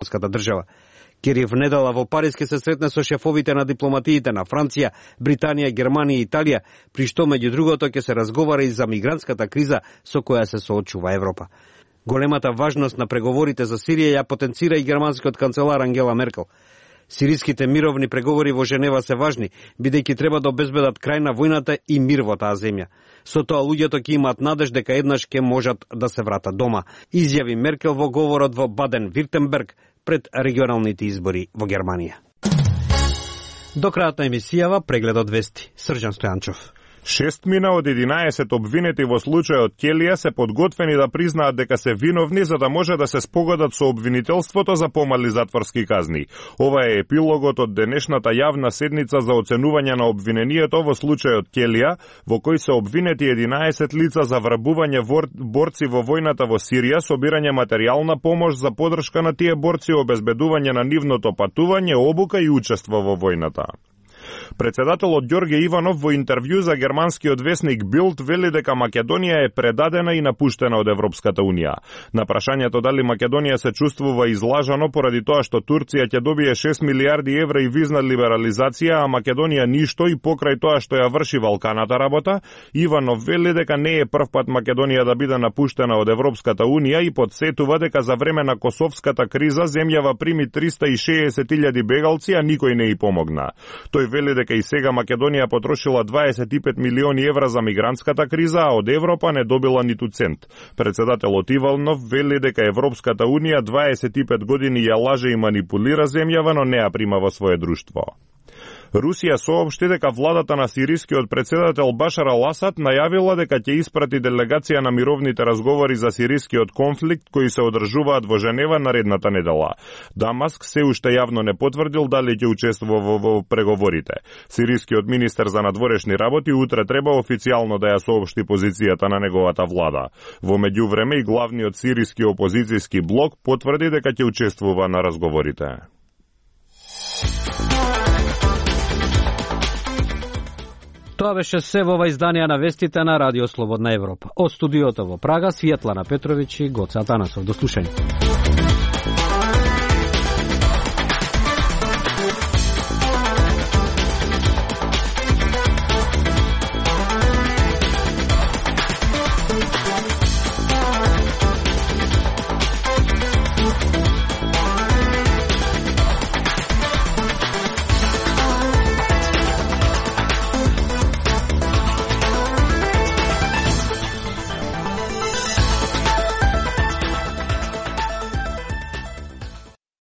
германската држава. Кери внедела во Париз ке се сретне со шефовите на дипломатиите на Франција, Британија, Германија и Италија, при што меѓу другото ќе се разговара и за мигрантската криза со која се соочува Европа. Големата важност на преговорите за Сирија ја потенцира и германскиот канцелар Ангела Меркел. Сириските мировни преговори во Женева се важни, бидејќи треба да обезбедат крај на војната и мир во таа земја. Со тоа луѓето ќе имаат надеж дека еднаш ќе можат да се вратат дома, изјави Меркел во говорот во Баден-Виртемберг пред регионалните избори во Германија. До крајот на емисијава прегледот вести. Срđan Стојанчов. 6 од 11 обвинети во случајот Келија се подготвени да признаат дека се виновни за да може да се спогодат со обвинителството за помали затворски казни. Ова е епилогот од денешната јавна седница за оценување на обвинението во случајот Келија, во кој се обвинети 11 лица за врабување борци во војната во Сирија, собирање материјална помош за поддршка на тие борци, обезбедување на нивното патување, обука и учество во војната. Председателот Ѓорѓе Иванов во интервју за германскиот весник Билд вели дека Македонија е предадена и напуштена од Европската Унија. На прашањето дали Македонија се чувствува излажано поради тоа што Турција ќе добие 6 милиарди евра и визна либерализација, а Македонија ништо и покрај тоа што ја врши валканата работа, Иванов вели дека не е првпат Македонија да биде напуштена од Европската Унија и подсетува дека за време на косовската криза земјава прими 360.000 бегалци, а никој не и помогна. Тој вели дека и сега Македонија потрошила 25 милиони евра за мигрантската криза, а од Европа не добила ниту цент. Председателот Иванов вели дека Европската Унија 25 години ја лаже и манипулира земјава, но не ја прима во свое друштво. Русија соопшти дека владата на сирискиот председател Башар ал-Асад најавила дека ќе испрати делегација на мировните разговори за сирискиот конфликт кои се одржуваат во Женева наредната недела. Дамаск се уште јавно не потврдил дали ќе учествува во преговорите. Сирискиот министер за надворешни работи утре треба официјално да ја соопшти позицијата на неговата влада. Во меѓувреме и главниот сириски опозицијски блок потврди дека ќе учествува на разговорите. Тоа беше се во ова издание на вестите на Радио Слободна Европа. Од студиото во Прага, Светлана Петровиќ и Гоце Атанасов. До слушање.